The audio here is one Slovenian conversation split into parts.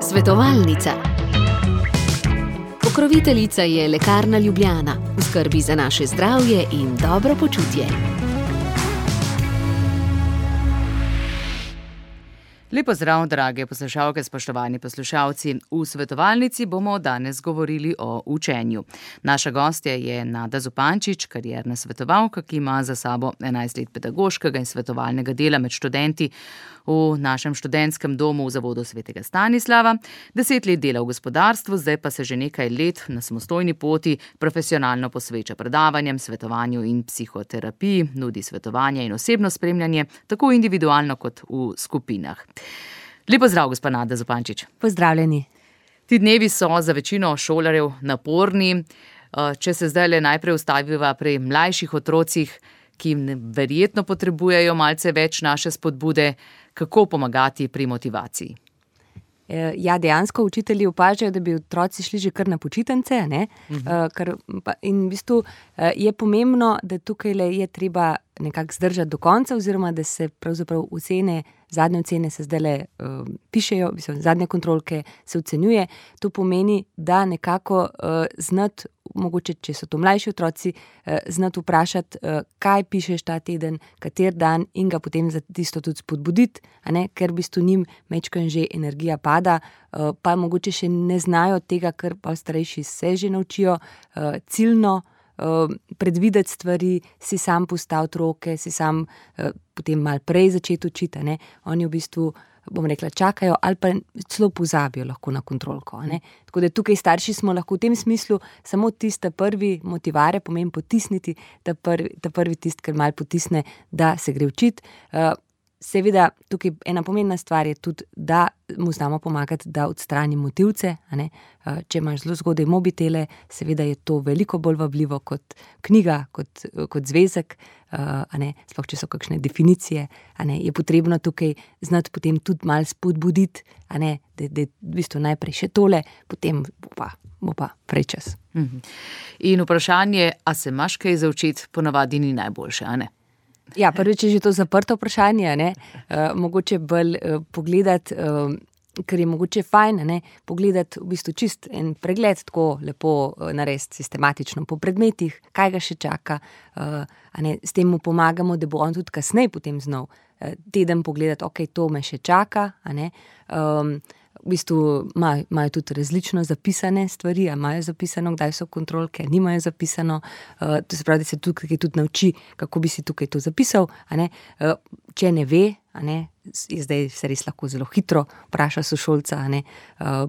Svetovalnica. Pokroviteljica je Lekarna Ljubljana, v skrbi za naše zdravje in dobro počutje. Lepo zdrav, drage poslušalke, spoštovani poslušalci. V svetovalnici bomo danes govorili o učenju. Naša gostja je Nada Zupančič, karierna svetovalka, ki ima za sabo 11 let pedagoškega in svetovalnega dela med študenti v našem študentskem domu v Zavodu Svetega Stanislava. 10 let dela v gospodarstvu, zdaj pa se že nekaj let na samostojni poti profesionalno posveča predavanjem, svetovanju in psihoterapiji, nudi svetovanje in osebno spremljanje, tako individualno kot v skupinah. Lepo zdrav, gospa Nada Zupančič. Pozdravljeni. Ti dnevi so za večino šolarjev naporni. Če se zdaj najprej ustaviva pri mlajših otrocih, ki verjetno potrebujejo malce več naše spodbude, kako pomagati pri motivaciji? Ja, dejansko učitelji opažajo, da bi otroci šli že kar na počitnice, ne? In v bistvu je pomembno, da tukaj je treba nekako zdržati do konca, oziroma da se pravzaprav zadnje ocene se zdajle pišejo, zadnje kontrolke se ocenjuje. To pomeni, da nekako znati, mogoče, če so to mlajši otroci, znati vprašati, kaj pišeš ta teden, kater dan, in ga potem za tisto tudi spodbuditi, ker v bistvu njim majčkeno že energija pada, pa mogoče še ne znajo tega, kar pa starejši se že naučijo, ciljno predvideti stvari, si sam postaviti roke, si sam potem malo prej začeti učiti, Oni v bistvu, bom rekla, čakajo ali pa celo pozabijo lahko na kontrolko, Tako da tukaj starši smo lahko v tem smislu samo tista prvi motivare, pomeni potisniti, ta prvi tist, ker malo potisne, da se gre učiti. Seveda, tukaj ena pomembna stvar je tudi, da mu znamo pomagati, da odstrani motilce, Če imaš zelo zgodaj mobitele, seveda je to veliko bolj vabljivo kot knjiga, kot zvezek, sploh če so kakšne definicije, je potrebno tukaj znati potem tudi malo spodbuditi, da je v bistvu najprej še tole, potem bo pa prej čas. In vprašanje, a se imaš kaj za učiti, ponavadi ni najboljše, Ja, prvič je že to zaprto vprašanje, mogoče bolj pogledati, ker je mogoče fajn, pogledati v bistvu čist en pregled, tako lepo narediti sistematično po predmetih, kaj ga še čaka, s tem mu pomagamo, da bo on tudi kasneje potem znal teden pogledati, ok, to me še čaka, V bistvu imajo tudi različno zapisane stvari, imajo zapisano, kdaj so kontrolke, nimajo zapisano, to se pravi, da se tukaj tudi nauči, kako bi si tukaj to zapisal, Če ne ve, je zdaj se res lahko zelo hitro vpraša sošolca,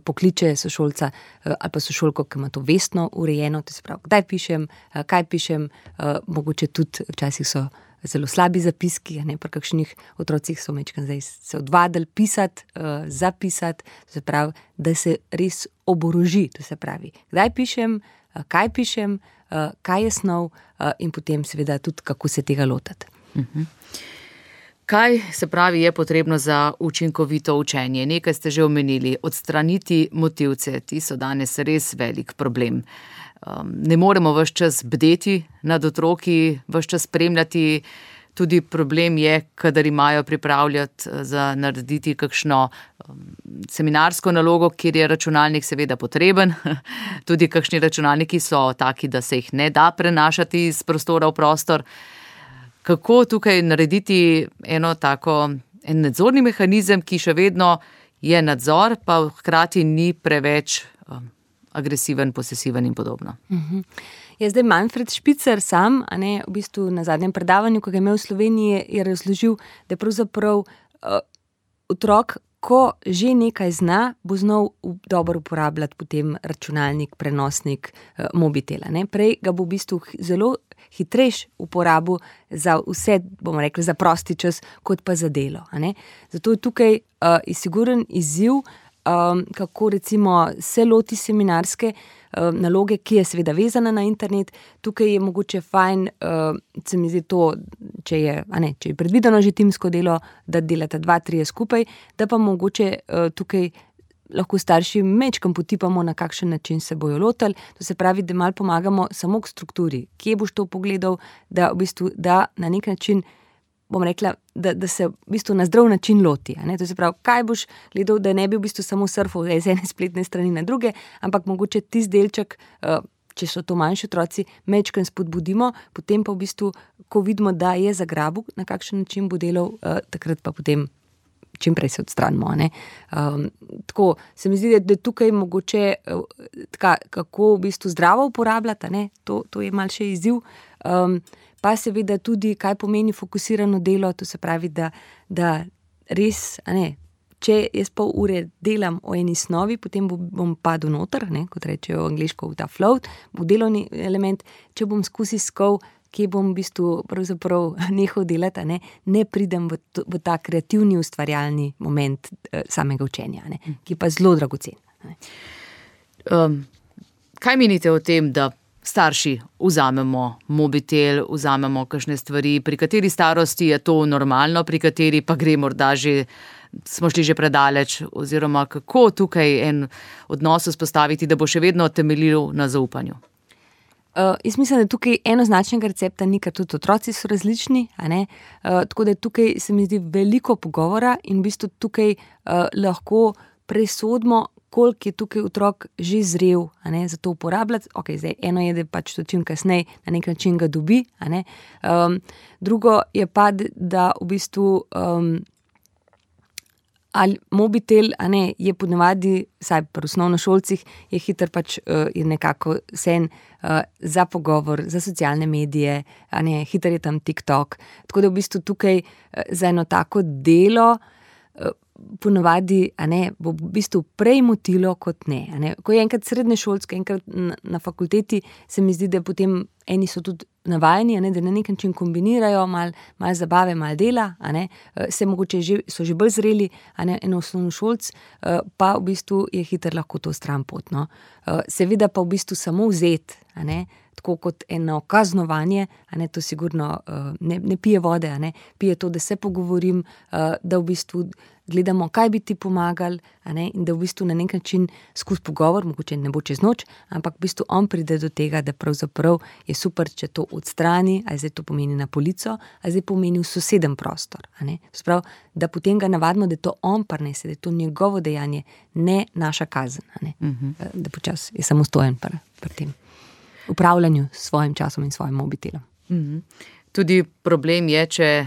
pokliče sošolca ali pa sošolko, ki ima to vestno urejeno, to se pravi, kdaj pišem, kaj pišem, mogoče tudi včasih so zelo slabi zapiski, pri kakšnih otrocih so majčkeno zdaj se odvadili pisati, zapisati, to se pravi, da se res oboroži, to se pravi, kdaj pišem, kaj je snov, in potem seveda tudi, kako se tega lotiti. Kaj se pravi je potrebno za učinkovito učenje? Nekaj ste že omenili, odstraniti motilce, ti so danes res velik problem. Ne moremo ves čas bdeti nad otroki, ves čas spremljati. Tudi problem je, kadar imajo pripravljati za narediti kakšno seminarsko nalogo, kjer je računalnik seveda potreben. Tudi kakšni računalniki so taki, da se jih ne da prenašati iz prostora v prostor. Kako tukaj narediti en nadzorni mehanizem, ki še vedno je nadzor, pa hkrati ni preveč agresiven, posesiven in podobno. Je zdaj Manfred Špicer sam, v bistvu na zadnjem predavanju, ko ga je imel v Sloveniji, je razložil, da je pravzaprav otrok, ko že nekaj zna, bo znal dobro uporabljati potem računalnik, prenosnik, mobitel. Prej ga bo v bistvu zelo hitrejš uporabil za vse, bomo rekli, za prosti čas, kot pa za delo. Zato je tukaj siguren izziv, kako recimo se loti seminarske naloge, ki je seveda vezana na internet. Tukaj je mogoče fajn, se mi zdi to, če je predvideno že timsko delo, da delata 2-3 skupaj, da pa mogoče tukaj lahko starši majčkeno potipamo, na kakšen način se bojo lotili. To se pravi, da malo pomagamo samo k strukturi. Kje boš to pogledal, da v bistvu da na nek način bom rekla, da se v bistvu na zdrav način loti. To se pravi, kaj boš gledal, da ne bi v bistvu samo surfal z ene spletne strani na druge, ampak mogoče tisti delček, če so to manjši otroci, mečkrat spodbudimo, potem pa v bistvu, ko vidimo, da je zagrabil, na kakšen način bo delal, takrat pa potem čim prej se odstranimo. Tako se mi zdi, da tukaj mogoče kako v bistvu zdravo uporabljati, to je malce še izziv. Pa seveda tudi, kaj pomeni fokusirano delo, to se pravi, da res, če jaz pol ure delam o eni snovi, potem bom padel noter, kot rečejo angliško v ta float, bo delovni element, če bom skozi iskal, kje bom v bistvu pravzaprav nehal delati, ne pridem v ta kreativni ustvarjalni moment samega učenja, ki je pa zelo dragocen. Kaj menite o tem, da starši vzamemo mobitel, vzamemo kakšne stvari, pri kateri starosti je to normalno, pri kateri pa gre morda smo šli že predaleč, oziroma kako tukaj en odnos vzpostaviti, da bo še vedno temeljil na zaupanju? Jaz mislim, da tukaj enoznačnega recepta ni, ker tudi otroci so različni, tako da tukaj se mi zdi veliko pogovora in v bistvu tukaj lahko presodimo, koliko je tukaj otrok že zrel, za to uporabljati. Zdaj, eno je, da pač to čim kasneje na nek način ga dobi, drugo je pa, da v bistvu ali mobitel, je ponavadi, vsaj pri osnovnošolcih, je hiter pač je nekako sen za pogovor, za socialne medije, hiter je tam TikTok. Tako da v bistvu tukaj za eno tako delo ponavadi, bo v bistvu prej motilo kot ne. Ko je enkrat srednješolska, enkrat na fakulteti, se mi zdi, da potem eni so tudi navajeni, da na nek način kombinirajo malo zabave, malo dela, se mogoče so že bolj zreli, en osnovnošolc, pa v bistvu je hiter lahko to stranpot. Seveda pa v bistvu samo vzeti, tako kot eno kaznovanje, to sigurno ne pije vode, pije to, da se pogovorim, da v bistvu gledamo, kaj bi ti pomagali, in da v bistvu na nek način skozi pogovor, mogoče ne bo čez noč, ampak v bistvu on pride do tega, da pravzaprav je super, če to odstrani, ali zdaj to pomeni na polico, ali zdaj pomeni v soseden prostor. Sprav, da potem ga navadimo, da to on prinese, da je to njegovo dejanje, ne naša kazen. Da počas je samostojen pri tem upravljanju s svojim časom in svojim mobitelom. Tudi problem je, če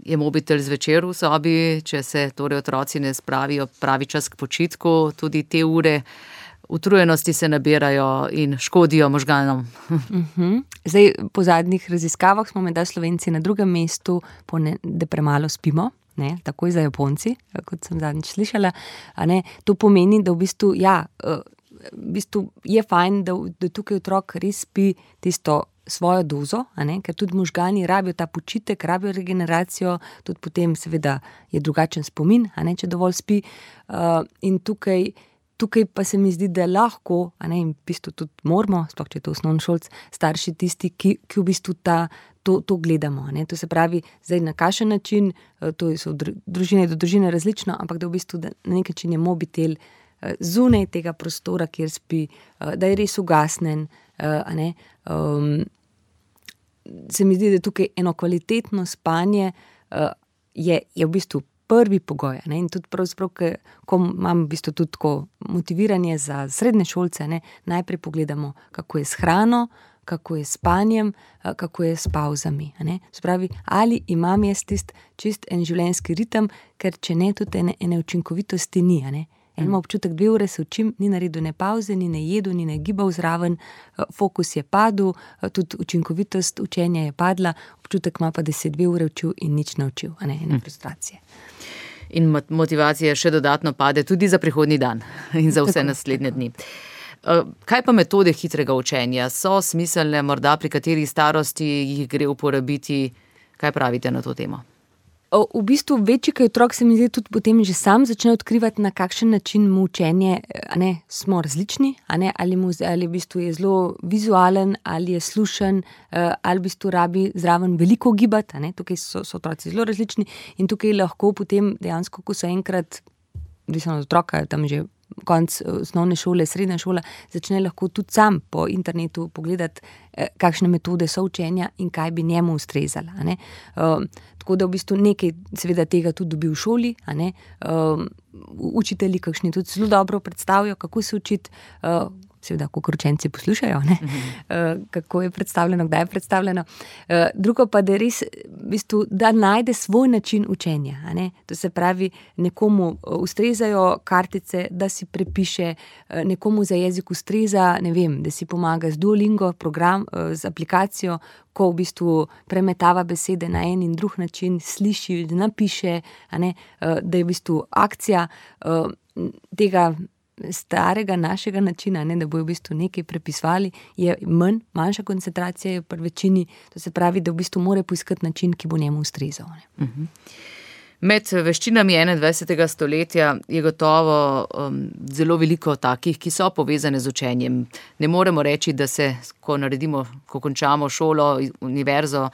je mobitel zvečer v sobi, če se torej otroci ne spravijo pravi čas k počitku, tudi te ure utrujenosti se nabirajo in škodijo možganom. Zdaj, po zadnjih raziskavah smo menda Slovenci na drugem mestu, da premalo spimo, takoj za Japonci, kot sem zadnjič slišala. To pomeni, da v bistvu, v bistvu je fajn, da tukaj otrok res spi tisto svojo dozo, ker tudi možgani rabijo ta počitek, rabijo regeneracijo, tudi potem seveda je drugačen spomin, če dovolj spi. In tukaj pa se mi zdi, da lahko, in v bistvu tudi moramo, sploh če je to osnovnošolc, starši tisti, ki v bistvu to gledamo. To se pravi, zdaj na kakšen način, to so družine do družine različno, ampak da v bistvu da na nek način je mobitel zunaj tega prostora, kjer spi, da je res ugasnen. Se mi zdi, da tukaj eno kvalitetno spanje je v bistvu prvi pogoj. In tudi pravzaprav, ko imam v bistvu tudi tako motiviranje za srednje šolce, najprej pogledamo, kako je s hrano, kako je s spanjem, kako je s pavzami. Spravi, ali imam jaz čist en življenjski ritem, ker če ne, tudi ene učinkovitosti ni. En ima občutek, 2 ure se učim, ni naredil ne pavze, ni ne jedu, ni ne gibal zraven, fokus je padel, tudi učinkovitost učenja je padla, občutek ima pa, da se 2 ure učil in nič naučil, ene frustracije. In motivacija še dodatno pade tudi za prihodnji dan in za vse naslednje dni. Kaj pa metode hitrega učenja? So smiselne morda pri kateri starosti jih gre uporabiti? Kaj pravite na to temo? V bistvu večji, kaj otrok se mi zdi tudi potem že sam začne odkrivati, na kakšen način mu učenje, smo različni, ali v bistvu je zelo vizualen, ali je slušen, ali v bistvu rabi zraven veliko gibati, tukaj so otroci zelo različni in tukaj lahko potem dejansko, ko so enkrat, odvisno od otroka, tam že konc osnovne šole, srednja šola, začne lahko tudi sam po internetu pogledati, kakšne metode so učenja in kaj bi njemu ustrezala. Tako da v bistvu nekaj seveda tega tudi dobi v šoli. Učitelji, kakšni tudi zelo dobro predstavijo, kako se učiti, seveda, kako učenci poslušajo, kako je predstavljeno, kdaj je predstavljeno. Drugo pa, da je res, v bistvu, da najde svoj način učenja. To se pravi, nekomu ustrezajo kartice, da si prepiše, nekomu za jezik ustreza, ne vem, da si pomaga z Duolingo program, z aplikacijo, ko v bistvu premetava besede na en in drug način, sliši, napiše, da je v bistvu akcija tega starega našega načina, da bojo v bistvu nekaj prepisvali, je manjša koncentracija je pri večini, to se pravi, da v bistvu mora poiskati način, ki bo njemu ustrezal. Med veščinami 21. stoletja je gotovo zelo veliko takih, ki so povezane z učenjem. Ne moremo reči, da se, ko končamo šolo, univerzo,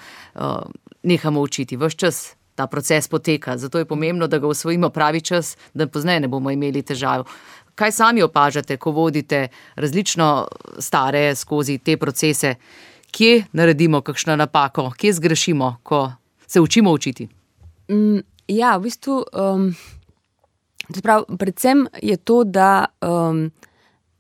nehamo učiti. Ves čas ta proces poteka, zato je pomembno, da ga osvojimo pravi čas, da pozneje ne bomo imeli težav. Kaj sami opažate, ko vodite različno stare skozi te procese? Kje naredimo kakšno napako? Kje zgrešimo, ko se učimo učiti? Ja, v bistvu, predvsem je to, da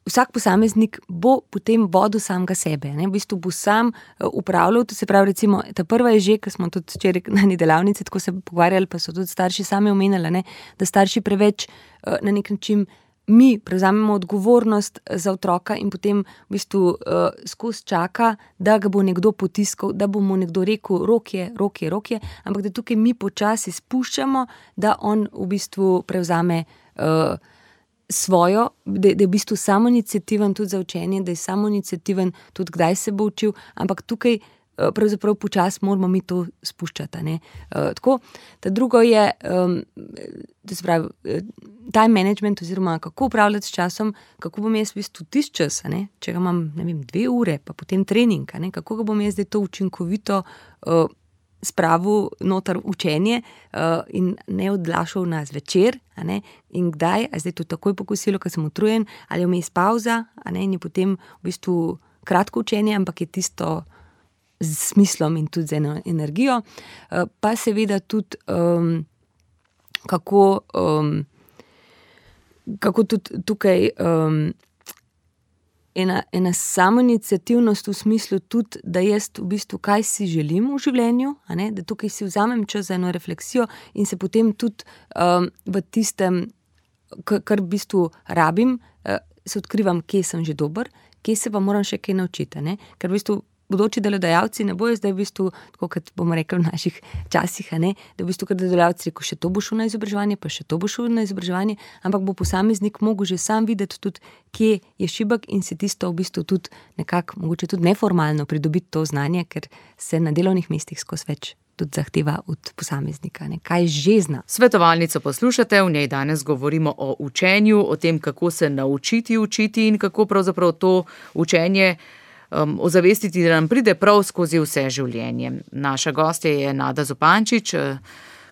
vsak posameznik bo potem vodil samega sebe. V bistvu bo sam upravljal, to se pravi, recimo, ta prva je že, ker smo tudi včeraj na eni delavnici tako se pogovarjali, pa so tudi starši sami omenjali, da starši preveč na nek način mi prevzamemo odgovornost za otroka in potem v bistvu skozi čaka, da ga bo nekdo potiskal, da bo mu nekdo rekel, rok je, ampak da tukaj mi počasi spuščamo, da on v bistvu prevzame svojo, da je v bistvu samoiniciativen tudi za učenje, da je samoiniciativen tudi kdaj se bo učil, ampak tukaj pravzaprav počasi moramo mi to spuščati. Tako, ta drugo je, to se pravi, time management oziroma kako upravljati s časom, kako bom jaz v bistvu tisti čas, če ga imam, 2 ure, pa potem trening, kako ga bom jaz zdaj to učinkovito spravil noter učenje in ne odlašal na zvečer, in kdaj, a zdaj to takoj po kosilu, ko sem utrujen, ali vmes pauza, in je potem v bistvu kratko učenje, ampak je tisto z smislom in tudi z eno energijo, pa seveda tudi kako tudi tukaj ena samoiniciativnost v smislu tudi, da jaz v bistvu kaj si želim v življenju, da tukaj si vzamem čas za eno refleksijo in se potem tudi v tistem, kar v bistvu rabim, se odkrivam, kje sem že dober, kje se pa moram še kaj naučiti, ker v bistvu bodoči delodajalci ne bojo zdaj v bistvu, tako kot bomo rekli v naših časih, da v bistvu kar delodajalci rekel, še to bo šel na izobraževanje, pa še to bo šel na izobraževanje, ampak bo posameznik mogel že sam videti tudi, kje je šibek in se tisto v bistvu tudi nekako, mogoče tudi neformalno pridobiti to znanje, ker se na delovnih mestih skozi več tudi zahteva od posameznika, kaj že zna. Svetovalnico poslušate, v njej danes govorimo o učenju, o tem, kako se naučiti učiti in kako pravzaprav to učenje ozavestiti, da nam pride prav skozi vse življenje. Naša gostja je Nada Zupančič,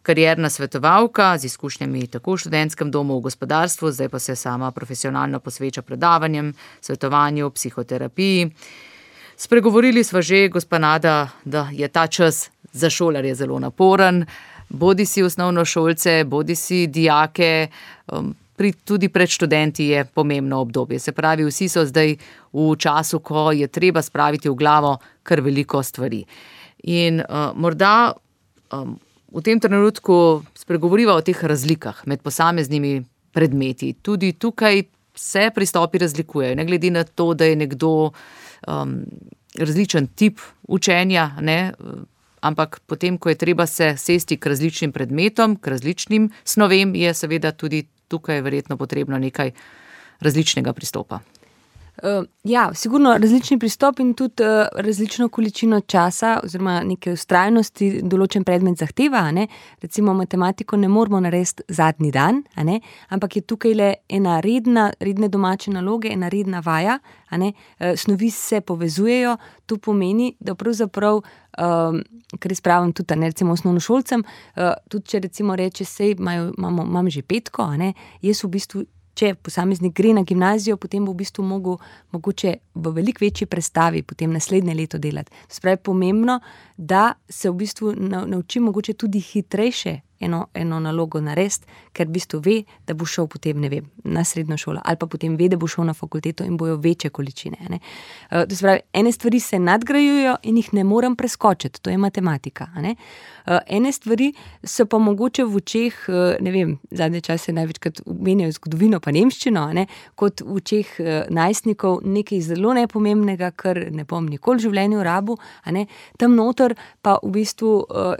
karierna svetovalka z izkušnjami tako v študentskem domu, v gospodarstvu, zdaj pa se sama profesionalno posveča predavanjem, svetovanju, psihoterapiji. Spregovorili sva že, gospa Nada, da je ta čas za šolarje zelo naporen, bodi si osnovnošolce, bodi si dijake, tudi pred študenti je pomembno obdobje. Se pravi, vsi so zdaj v času, ko je treba spraviti v glavo kar veliko stvari. In morda v tem trenutku spregovoriva o teh razlikah med posameznimi predmeti. Tudi tukaj se pristopi razlikujejo, ne glede na to, da je nekdo različen tip učenja, ampak potem, ko je treba se sesti k različnim predmetom, k različnim snovem, je seveda tudi tukaj je verjetno potrebno nekaj različnega pristopa. Ja, sigurno različni pristop in tudi različno količino časa oziroma neke vztrajnosti določen predmet zahteva, Recimo matematiko ne moramo narediti zadnji dan, ampak je tukaj le ena redne domače naloge, ena redna vaja, Snovi se povezujejo, to pomeni, da pravzaprav, kar jaz pravim tudi, recimo osnovnošolcem, tudi če recimo reče, sej imam že petko, jaz v bistvu če posameznik gre na gimnazijo, potem bo v bistvu mogoče v veliko večji prestavi potem naslednje leto delati. To se pravi, pomembno, da se v bistvu nauči mogoče tudi hitrejše eno nalogo narediti, ker v bistvu ve, da bo šel potem, ne vem, na srednjo šolo ali pa potem ve, da bo šel na fakulteto in bojo večje količine. Ne. To se pravi, ene stvari se nadgrajujejo in jih ne morem preskočiti, to je matematika. Ne. Ene stvari so pa mogoče v očeh, ne vem, zadnje čase največkrat omenjajo zgodovino pa nemščino, ne, kot v očeh najstnikov nekaj zelo nepomembnega, kar ne bom nikoli v življenju rabil, ne. Tam noter pa v bistvu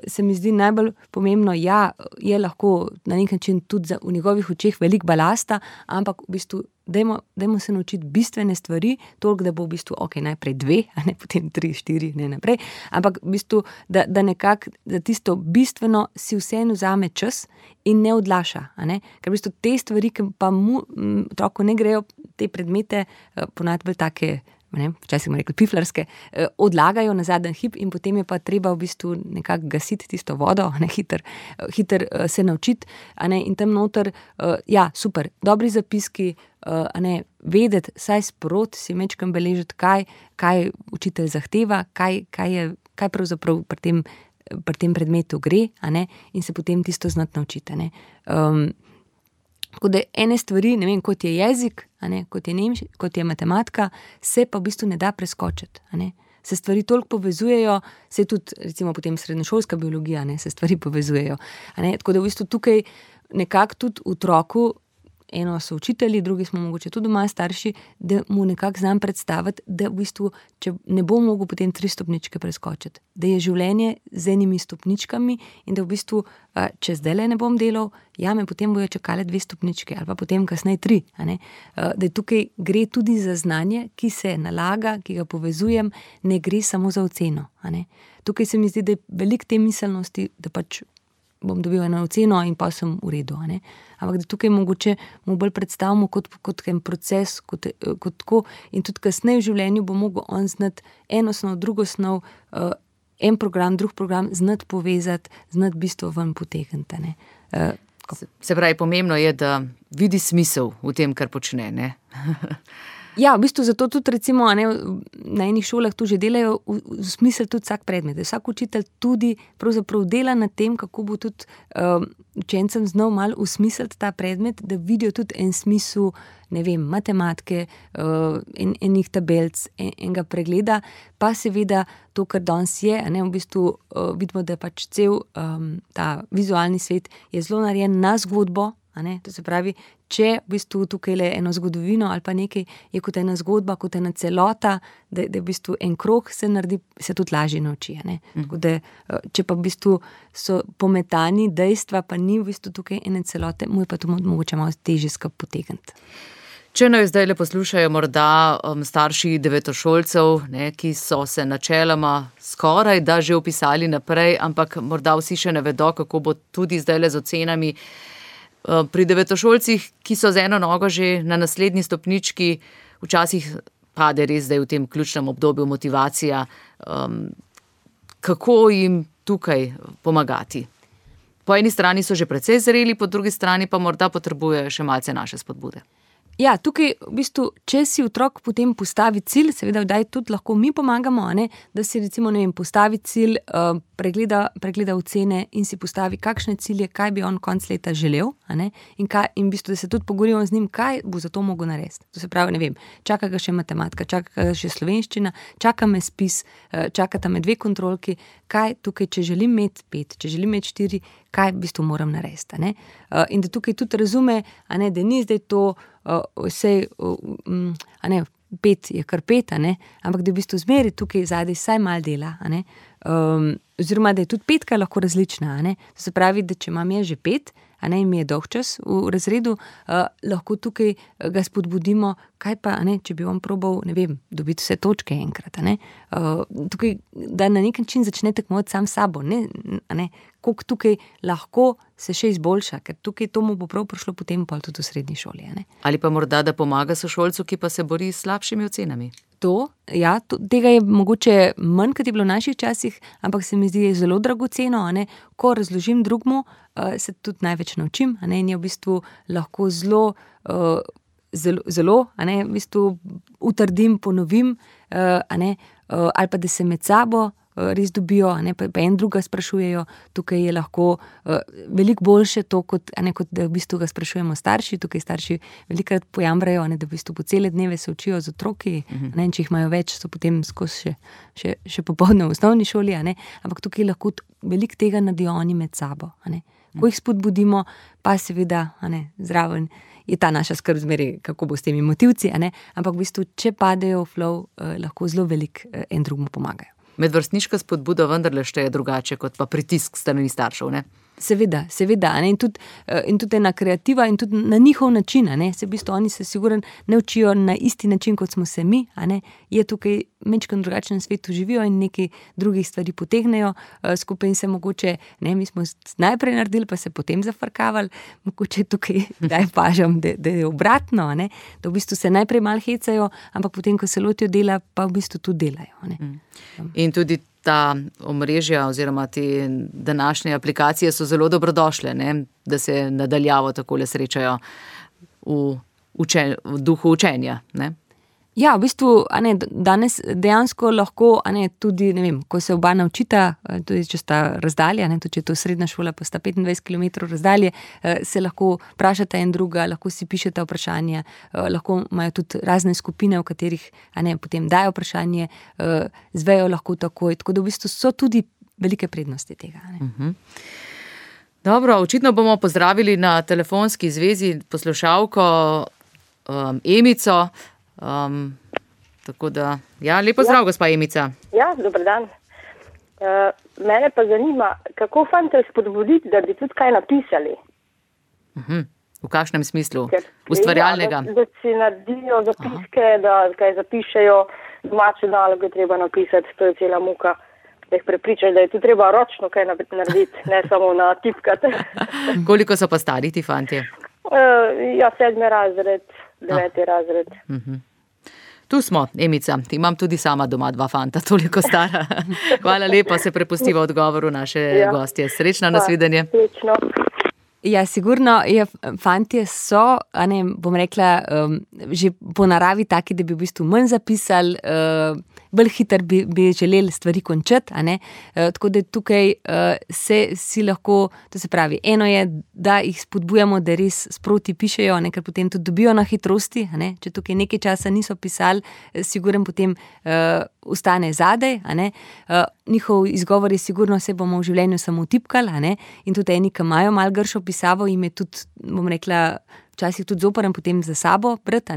se mi zdi najbolj pomembno, je lahko na nek način tudi v njegovih očeh veliko balasta, ampak v bistvu dajmo se naučiti bistvene stvari, toliko, da bo v bistvu najprej 2, a ne potem 3, 4, ne naprej, ampak v bistvu, da nekako za tisto bistveno si vseeno vzame čas in ne odlaša, a ne, ker v bistvu te stvari, ki pa otroku ne grejo, te predmete ponavadi bolj take, včasih smo rekli piflarske, odlagajo na zadnji hip in potem je pa treba v bistvu nekako gasiti tisto vodo, hiter se naučiti, in tam noter, super, dobri zapiski, vedeti, saj sprot si mečkam beležiti, kaj učitelj zahteva, kaj pravzaprav pri tem predmetu gre, in se potem tisto znati naučiti, Tako da ene stvari, ne vem, kot je jezik, kot je matematika, se pa v bistvu ne da preskočiti. Se stvari toliko povezujejo, se tudi, recimo potem srednješolska biologija, se stvari povezujejo. Tako da v bistvu tukaj nekako tudi otroku, eno so učitelji, drugi smo mogoče tudi doma starši, da mu nekako znam predstaviti, da v bistvu, če ne bo mogel potem 3 stopničke preskočiti, da je življenje z enimi stopničkami in da v bistvu, če zdajle ne bom delal, me potem bojo čakale 2 stopničke ali pa potem kasneje 3, da tukaj gre tudi za znanje, ki se nalaga, ki ga povezujem, ne gre samo za oceno, Tukaj se mi zdi, da je veliko te miselnosti, da pač bom dobil eno oceno in pa sem v redu, ampak da tukaj mogoče mu bolj predstavimo kot en proces, kot tako, in tudi kasneje v življenju bo mogel on znati eno snov, drugo snov, en program, drug program, znati povezati, znati bistvo ven potegniti, Se pravi, pomembno je, da vidi smisel v tem, kar počne, ne? Ja, v bistvu zato tudi recimo na enih šolah tu že delajo v smisel tudi vsak predmet. Vsak učitelj tudi pravzaprav dela na tem, kako bo tudi učencem znal malo usmisliti ta predmet, da vidijo tudi en smisel, ne vem, matematike, enih tabelc, enega pregleda, pa seveda to, kar danes je, v bistvu vidimo, da pač cel ta vizualni svet je zelo narejen na zgodbo, To se pravi, če v bistvu tukaj le eno zgodovino ali pa nekaj, je kot ena zgodba, kot ena celota, da v bistvu en krog se naredi, se tudi lažje nauči, Tako da, če pa v bistvu so pometani dejstva, pa ni v bistvu tukaj ene celote, mu je pa to mogoče malo težje skupaj potegniti. Če naj zdaj le poslušajo morda starši devetošolcev, ki so se načeloma skoraj da že vpisali naprej, ampak morda vsi še ne vedo, kako bo tudi zdaj le z ocenami. Pri devetošolcih, ki so z eno nogo že na naslednji stopnički, včasih pade res zdaj v tem ključnem obdobju motivacija. Kako jim tukaj pomagati? Po eni strani so že precej zreli, po drugi strani pa morda potrebujejo še malce naše spodbude. Ja, tukaj v bistvu, če si otrok potem postavi cilj, seveda vdaj tudi lahko mi pomagamo, da si recimo, postavi cilj, pregleda ocene in si postavi kakšne cilje, kaj bi on konc leta želel, in v bistvu, da se tudi pogovorimo z njim, kaj bo za to mogel narediti. To se pravi, ne vem, čaka ga še matematika, čaka ga še slovenščina, čaka me spis, čakata me 2 kontrolki, kaj tukaj, če želim imeti 5, če želim imeti 4, kaj v bistvu moram narediti, in da tukaj tudi razume, da ni zdaj to vse, 5 je kar 5, ampak da v bistvu zmeri tukaj zadaj vsaj malo dela, oziroma da je tudi 5 lahko različna, To se pravi, da če imam že 5, in mi je dolg čas v razredu, lahko tukaj ga spodbudimo, kaj pa, če bi on probal, ne vem, dobiti vse točke enkrat, tukaj, da na nek način začne tekmovati sam s sabo, koliko tukaj lahko se še izboljša, ker tukaj to mu bo prav prišlo potem pol tudi v srednji šoli, Ali pa morda, da pomaga sošolcu, ki pa se bori s slabšimi ocenami. Tega je mogoče manj, kot je bilo v naših časih, ampak se mi zdi zelo dragoceno, ko razložim drugmu, se tudi največ naučim, in je v bistvu lahko zelo, v bistvu utrdim, ponovim, ali pa da se med sabo res dobijo, pa en druga sprašujejo, tukaj je lahko veliko boljše to, kot da v bistvu ga sprašujemo starši, tukaj starši velikokrat pojamrajo, da v bistvu po cele dneve se učijo z otroki, če jih imajo več, so potem skozi še popoldne v osnovni šoli, ampak tukaj lahko veliko tega naredijo oni med sabo, Ko jih spodbudimo, pa seveda zraven je ta naša skrb zmeraj, kako bo s temi motivci, ampak v bistvu, če padejo v flow, lahko zelo veliko en drugmu pomagajo. Medvrstniška spodbuda vendarle šteje drugače kot pa pritisk strani staršev, ne? Seveda, in tudi ena kreativa in tudi na njihov način, se v bistvu oni se sigurno ne učijo na isti način, kot smo se mi, je tukaj majčkeno drugačnem svetu živijo in nekaj drugih stvari potegnejo skupaj in se mogoče, mi smo najprej naredili, pa se potem zafrkavali, mogoče tukaj daj pažam, da je obratno, da v bistvu se najprej malo hecajo, ampak potem, ko se lotijo dela, pa v bistvu tudi delajo, In tudi ta omrežja oziroma te današnje aplikacije so zelo dobrodošle, da se nadaljavo takole srečajo v duhu učenja, ne? Ja, v bistvu, danes dejansko lahko, tudi, ko se oba naučita, tudi če sta razdalja, tudi če je to srednja šola, pa sta 25 km razdalje, se lahko vprašata en druga, lahko si pišeta vprašanja, lahko imajo tudi razne skupine, v katerih, potem dajo vprašanje, zvejo lahko takoj, tako da v bistvu so tudi velike prednosti tega, Dobro, očitno bomo pozdravili na telefonski zvezi poslušalko Emico. Tako da, lepo zdrav, gospa Emica. Ja, dober dan. Mene pa zanima, kako fante spodbuditi, da bi tudi kaj napisali. V kakšnem smislu? Ustvarjalnega? Da si naredijo zapiske, da kaj zapišejo, domače naloge treba napisati, to je cela muka. Da jih prepričaš, da je tu treba ročno kaj narediti, ne samo natipkati. Koliko so pa stari ti fantje? 7. razred, 9. razred. Tu smo, Emica, imam tudi sama doma 2 fanta, toliko stara. Hvala lepa, se prepustiva odgovoru naše gostje. Srečno, nasvidenje. Srečno. Ja, sigurno, fantje so, bom rekla, že po naravi taki, da bi v bistvu manj zapisali, bolj hitro bi želeli stvari končati, tako da tukaj si lahko, to se pravi, eno je, da jih spodbujamo, da res sproti pišejo, ker potem tudi dobijo na hitrosti, če tukaj nekaj časa niso pisali, sigurno potem ostane zadej, njihov izgovor je sigurno, se bomo v življenju samo tipkali, in tudi eni, ki imajo malo gršo pisavo, jim je tudi, bom rekla, včasih tudi zoprn potem za sabo brati,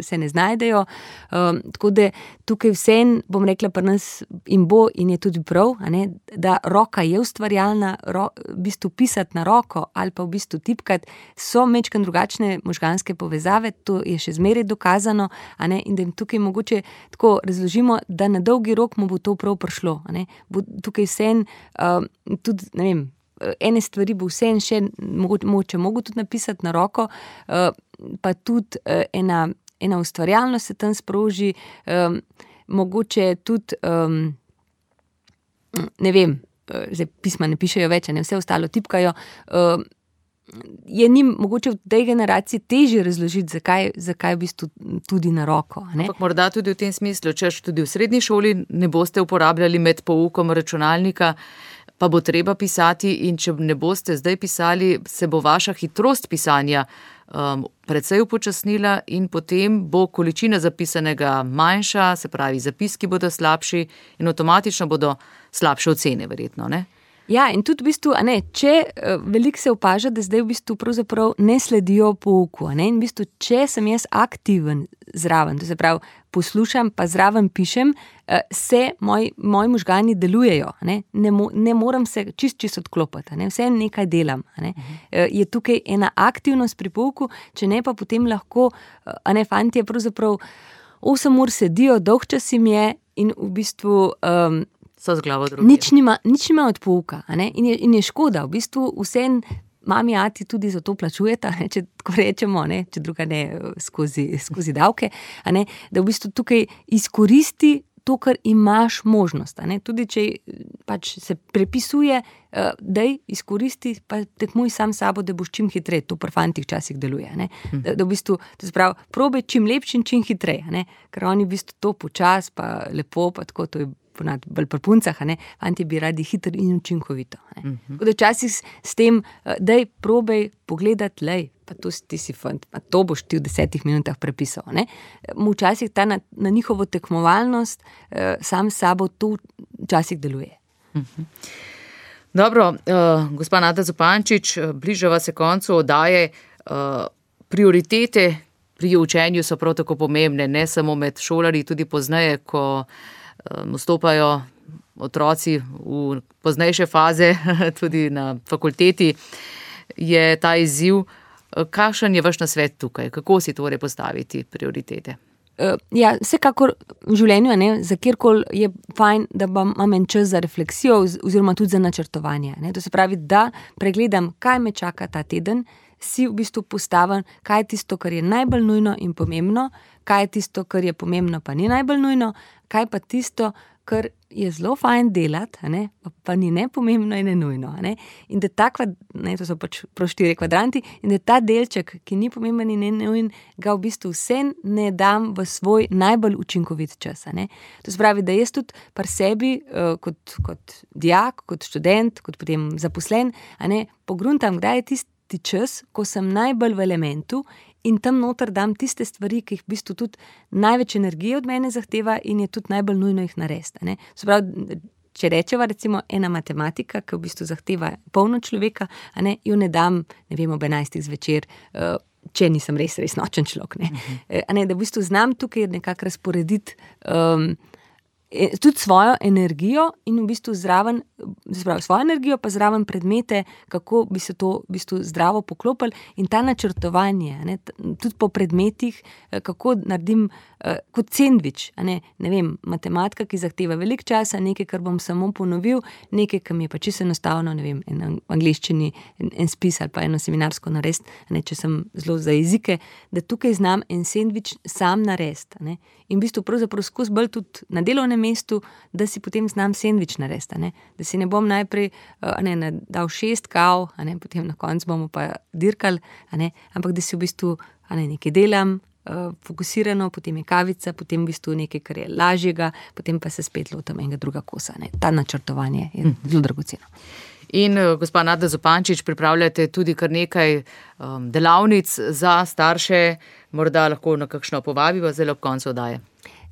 se ne znajdejo, tako da tukaj vsem, bom rekla, pri nas in bo in je tudi prav, da roka je ustvarjalna, v bistvu pisati na roko ali pa v bistvu tipkati, so majčkeno drugačne možganske povezave, to je še zmeraj dokazano, in da jim tukaj mogoče tako razložimo, da na dolgi rok mu bo to prav prišlo, bo tukaj vsem, tudi, ne vem, ene stvari bo vsem še mogoče tudi napisati na roko, pa tudi ena ustvarjalnost se tam sproži, mogoče tudi, ne vem, zdaj pisma ne pišejo več, vse ostalo tipkajo, je njim mogoče v tej generaciji težje razložiti, zakaj v bistvu tudi na roko. Ampak morda tudi v tem smislu, če tudi v srednji šoli ne boste uporabljali med poukom računalnika, pa bo treba pisati in če ne boste zdaj pisali, se bo vaša hitrost pisanja precej upočasnila in potem bo količina zapisanega manjša, se pravi, zapiski bodo slabši in avtomatično bodo slabše ocene verjetno, ne? Ja, in tudi v bistvu, če veliko se opaža, da zdaj v bistvu pravzaprav ne sledijo pouku, in v bistvu, če sem jaz aktiven zraven, to se pravi, poslušam, pa zraven pišem, se moji možgani delujejo, ne moram se čist odklopiti, vse nekaj delam, je tukaj ena aktivnost pri pouku, če ne pa potem lahko, fantje pravzaprav 8 ur sedijo, dolg čas jim je in v bistvu so z glavo drugje. Nič nima od pouka, in je škoda, v bistvu vsem mami, ati tudi za to plačujeta, ne, če tako rečemo, ne, če druga ne skozi davke, ne, da v bistvu tukaj izkoristi to, kar imaš možnost. Ne? Tudi če pač se prepisuje, daj izkoristi, pa tekmuj sam sabo, da boš čim hitreje. To pri fantih včasih deluje. Ne? Da v bistvu, to se pravi, probaj čim lepši in čim hitreje. Ne? Ker oni v bistvu to počas, pa lepo, pa tako, to je ponad bolj pri puncah, ne? Fanti bi radi hitro in učinkovito. Tako da včasih s tem, daj probaj pogledati, lej, pa to ti si fant, pa to boš ti v 10 minutah prepisal. Ne? Včasih ta na njihovo tekmovalnost sam s sabo to včasih deluje. Dobro, gospa Nada Zupančič, bližava se koncu oddaje. Prioritete pri učenju so prav tako pomembne, ne samo med šolarji, tudi pozneje, ko vstopajo otroci v poznejše faze, tudi na fakulteti, je ta izziv. Kakšen je vaš nasvet tukaj? Kako si torej postaviti prioritete? Ja, vsekakor v življenju, ne, za kjerkoli je fajn, da imam en čas za refleksijo oziroma tudi za načrtovanje. Ne. To se pravi, da pregledam, kaj me čaka ta teden, si v bistvu postavim, kaj je tisto, kar je najbolj nujno in pomembno, kaj je tisto, kar je pomembno, pa ni najbolj nujno, kaj pa tisto, kar je zelo fajn delati, ne, pa ni ne pomembno in ne nujno. Ne. In da to so pač prav 4 kvadranti, in da ta delček, ki ni pomemben in ne nujen, ga v bistvu vse ne dam v svoj najbolj učinkovit čas. Ne. To se pravi, da jaz tudi pri sebi, kot dijak, kot študent, kot potem zaposlen, ne, pogruntam, kdaj je tisti čas, ko sem najbolj v elementu in tam noter dam tiste stvari, ki jih v bistvu tudi največ energije od mene zahteva in je tudi najbolj nujno jih narediti. Ne. Se pravi, če rečeva recimo ena matematika, ki v bistvu zahteva polno človeka, ne, jo ne dam, ne vem, ob 11 zvečer, če nisem res nočen človek. Ne, da v bistvu znam tukaj nekako razporediti tudi svojo energijo in v bistvu zraven, svojo energijo pa zraven predmete, kako bi se to v bistvu zdravo poklopili in ta načrtovanje, ne, tudi po predmetih, kako naredim kot sendvič, ne vem, matematika, ki zahteva veliko časa, nekaj, kar bom samo ponovil, nekaj, kar mi je pa čisto enostavno, ne vem, v angleščini en spis ali pa eno seminarsko narediti, če sem zelo za jezike, da tukaj znam en sendvič sam narediti, ne, in v bistvu pravzaprav skozi bolj tudi na delovnem mestu, da si potem znam sendvič narediti, ne, da si ne bom najprej dal 6 kav, potem na koncu bomo pa dirkali, ampak da si v bistvu nekaj delam, fokusirano, potem je kavica, potem v bistvu nekaj, kar je lažjega, potem pa se spet lotam enega druga kosa. Ne. Ta načrtovanje je zelo dragoceno. In gospa Nada Zupančič, pripravljate tudi kar nekaj delavnic za starše, morda lahko na kakšno povabiva zdaj ob koncu oddaje.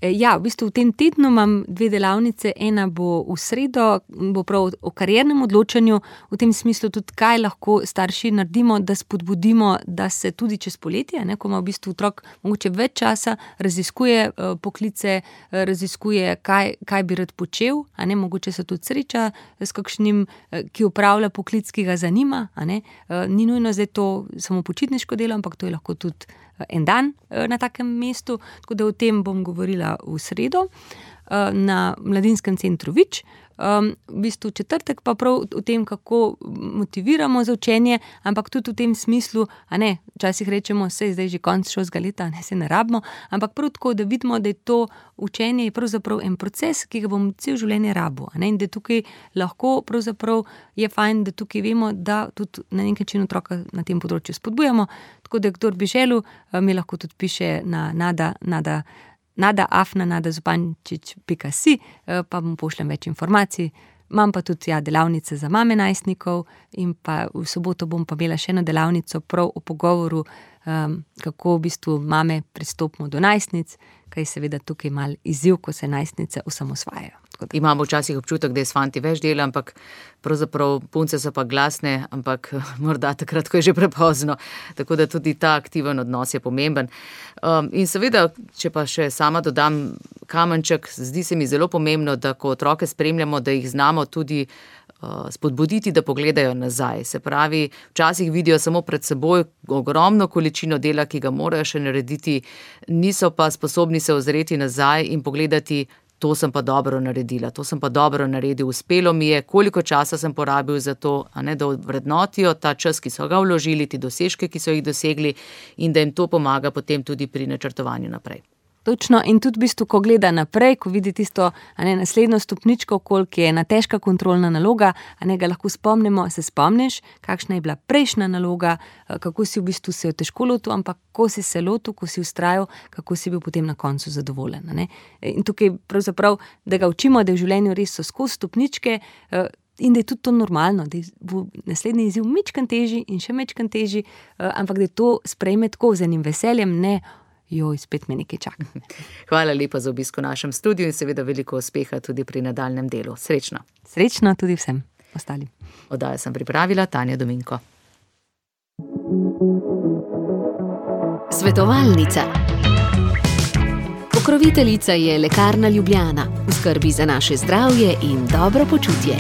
Ja, v bistvu v tem tednu imam 2 delavnice, ena bo v sredo, bo prav o kariernem odločanju, v tem smislu tudi, kaj lahko starši naredimo, da spodbudimo, da se tudi čez poletje, ne, ko ima v bistvu otrok mogoče več časa, raziskuje poklice, raziskuje, kaj bi rad počel, mogoče se tudi sreča s kakšnim, ki opravlja poklic, ki ga zanima, ni nujno zdaj to samo počitniško delo, ampak to je lahko tudi en dan na takem mestu, tako da o tem bom govorila v sredo na Mladinskem centru Vič. V bistvu četrtek pa prav o tem, kako motiviramo za učenje, ampak tudi v tem smislu, včasih rečemo, saj zdaj že konc šolskega leta, se ne rabimo, ampak prav tako, da vidimo, da je to učenje je pravzaprav en proces, ki ga bom cel življenje rabil, in da tukaj lahko pravzaprav je fajn, da tukaj vemo, da tudi na nek način otroka na tem področju spodbujamo, tako da kdor bi želel, mi lahko tudi piše na nada@nadazupančič.si, pa mu pošljem več informacij. Imam pa tudi delavnice za mame najstnikov in pa v soboto bom pa imela še eno delavnico prav o pogovoru, kako v bistvu mame pristopimo do najstnic, kaj je seveda tukaj mal izziv, ko se najstnice osamosvajajo. Imamo včasih občutek, da je s fanti več dela, ampak pravzaprav punce so pa glasne, ampak morda takrat, ko je že prepozno. Tako da tudi ta aktiven odnos je pomemben. In seveda, če pa še sama dodam kamenček, zdi se mi zelo pomembno, da ko otroke spremljamo, da jih znamo tudi spodbuditi, da pogledajo nazaj. Se pravi, včasih vidijo samo pred seboj ogromno količino dela, ki ga morajo še narediti, niso pa sposobni se ozreti nazaj in pogledati, to sem pa dobro naredila, to sem pa dobro naredil, uspelo mi je, koliko časa sem porabil za to, da vrednotijo ta čas, ki so ga vložili, ti dosežke, ki so jih dosegli in da jim to pomaga potem tudi pri načrtovanju naprej. Točno, in tudi v bistvu, ko gleda naprej, ko vidi tisto naslednjo stopničko, koliko je ena težka kontrolna naloga, ga lahko spomnimo, se spomniš, kakšna je bila prejšnja naloga, kako si v bistvu se jo težko lotil, ampak ko si se lotil, ko si vztrajal, kako si bil potem na koncu zadovoljen. In tukaj pravzaprav, da ga učimo, da v življenju res so skozi stopničke, in da je tudi to normalno, da bo naslednji izziv mičkan težji in še mičkan težji, ampak da to sprejme tako z enim veseljem, ne spet me nekaj čaka. Hvala lepa za obisk v našem studiu in seveda veliko uspeha tudi pri nadaljnjem delu. Srečno. Srečno tudi vsem ostalim. Oddajo sem pripravila Tanja Dominko. Svetovalnica. Pokroviteljica je Lekarna Ljubljana. V skrbi za naše zdravje in dobro počutje.